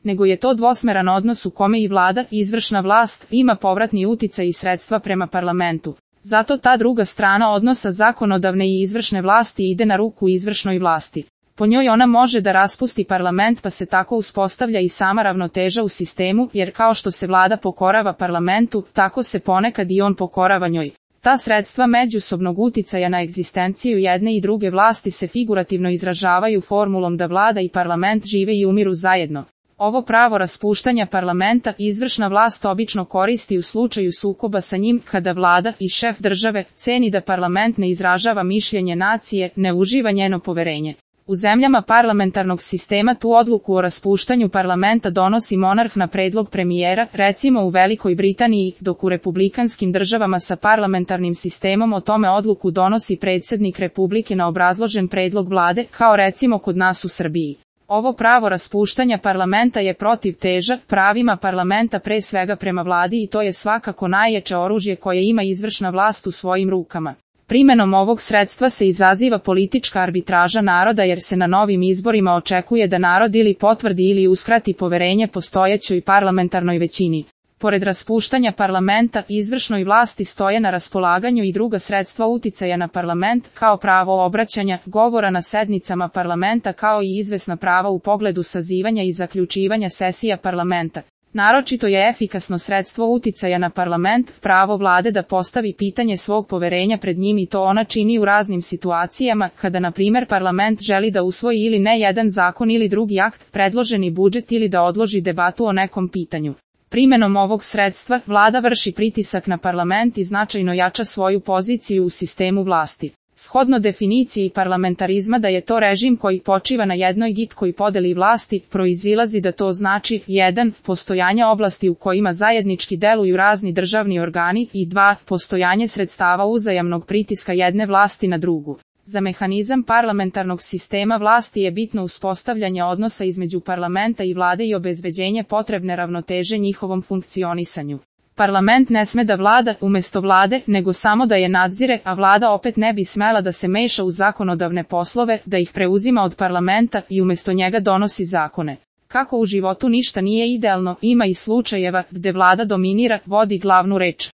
nego je to dvosmeran odnos u kome i vlada, izvršna vlast, ima povratni uticaj i sredstva prema parlamentu. Zato ta druga strana odnosa zakonodavne i izvršne vlasti ide na ruku izvršnoj vlasti. Po njoj ona može da raspusti parlament, pa se tako uspostavlja i sama ravnoteža u sistemu, jer kao što se vlada pokorava parlamentu, tako se ponekad i on pokorava njoj. Ta sredstva međusobnog uticaja na egzistenciju jedne i druge vlasti se figurativno izražavaju formulom da vlada i parlament žive i umiru zajedno. Ovo pravo raspuštanja parlamenta izvršna vlast obično koristi u slučaju sukoba sa njim, kada vlada i šef države ceni da parlament ne izražava mišljenje nacije, ne uživa njeno poverenje. U zemljama parlamentarnog sistema tu odluku o raspuštanju parlamenta donosi monarh na predlog premijera, recimo u Velikoj Britaniji, dok u republikanskim državama sa parlamentarnim sistemom o tome odluku donosi predsjednik Republike na obrazložen predlog vlade, kao recimo kod nas u Srbiji. Ovo pravo raspuštanja parlamenta je protivteža pravima parlamenta pre svega prema vladi i to je svakako najjače oružje koje ima izvršna vlast u svojim rukama. Primenom ovog sredstva se izaziva politička arbitraža naroda jer se na novim izborima očekuje da narod ili potvrdi ili uskrati poverenje postojećoj parlamentarnoj većini. Pored raspuštanja parlamenta, izvršnoj vlasti stoje na raspolaganju i druga sredstva uticaja na parlament, kao pravo obraćanja, govora na sednicama parlamenta kao i izvesna prava u pogledu sazivanja i zaključivanja sesija parlamenta. Naročito je efikasno sredstvo uticaja na parlament, pravo vlade da postavi pitanje svog poverenja pred njim i to ona čini u raznim situacijama, kada na primjer parlament želi da usvoji ili ne jedan zakon ili drugi akt, predloženi budžet ili da odloži debatu o nekom pitanju. Primenom ovog sredstva, vlada vrši pritisak na parlament i značajno jača svoju poziciju u sistemu vlasti. Shodno definiciji parlamentarizma da je to režim koji počiva na jednoj gitkoj podeli vlasti, proizilazi da to znači 1. Postojanje oblasti u kojima zajednički deluju razni državni organi i 2. Postojanje sredstava uzajamnog pritiska jedne vlasti na drugu. Za mehanizam parlamentarnog sistema vlasti je bitno uspostavljanje odnosa između parlamenta i vlade i obezbeđenje potrebne ravnoteže njihovom funkcionisanju. Parlament ne sme da vlada umjesto vlade, nego samo da je nadzire, a vlada opet ne bi smela da se meša u zakonodavne poslove, da ih preuzima od parlamenta i umjesto njega donosi zakone. Kako u životu ništa nije idealno, ima i slučajeva gde vlada dominira, vodi glavnu reč.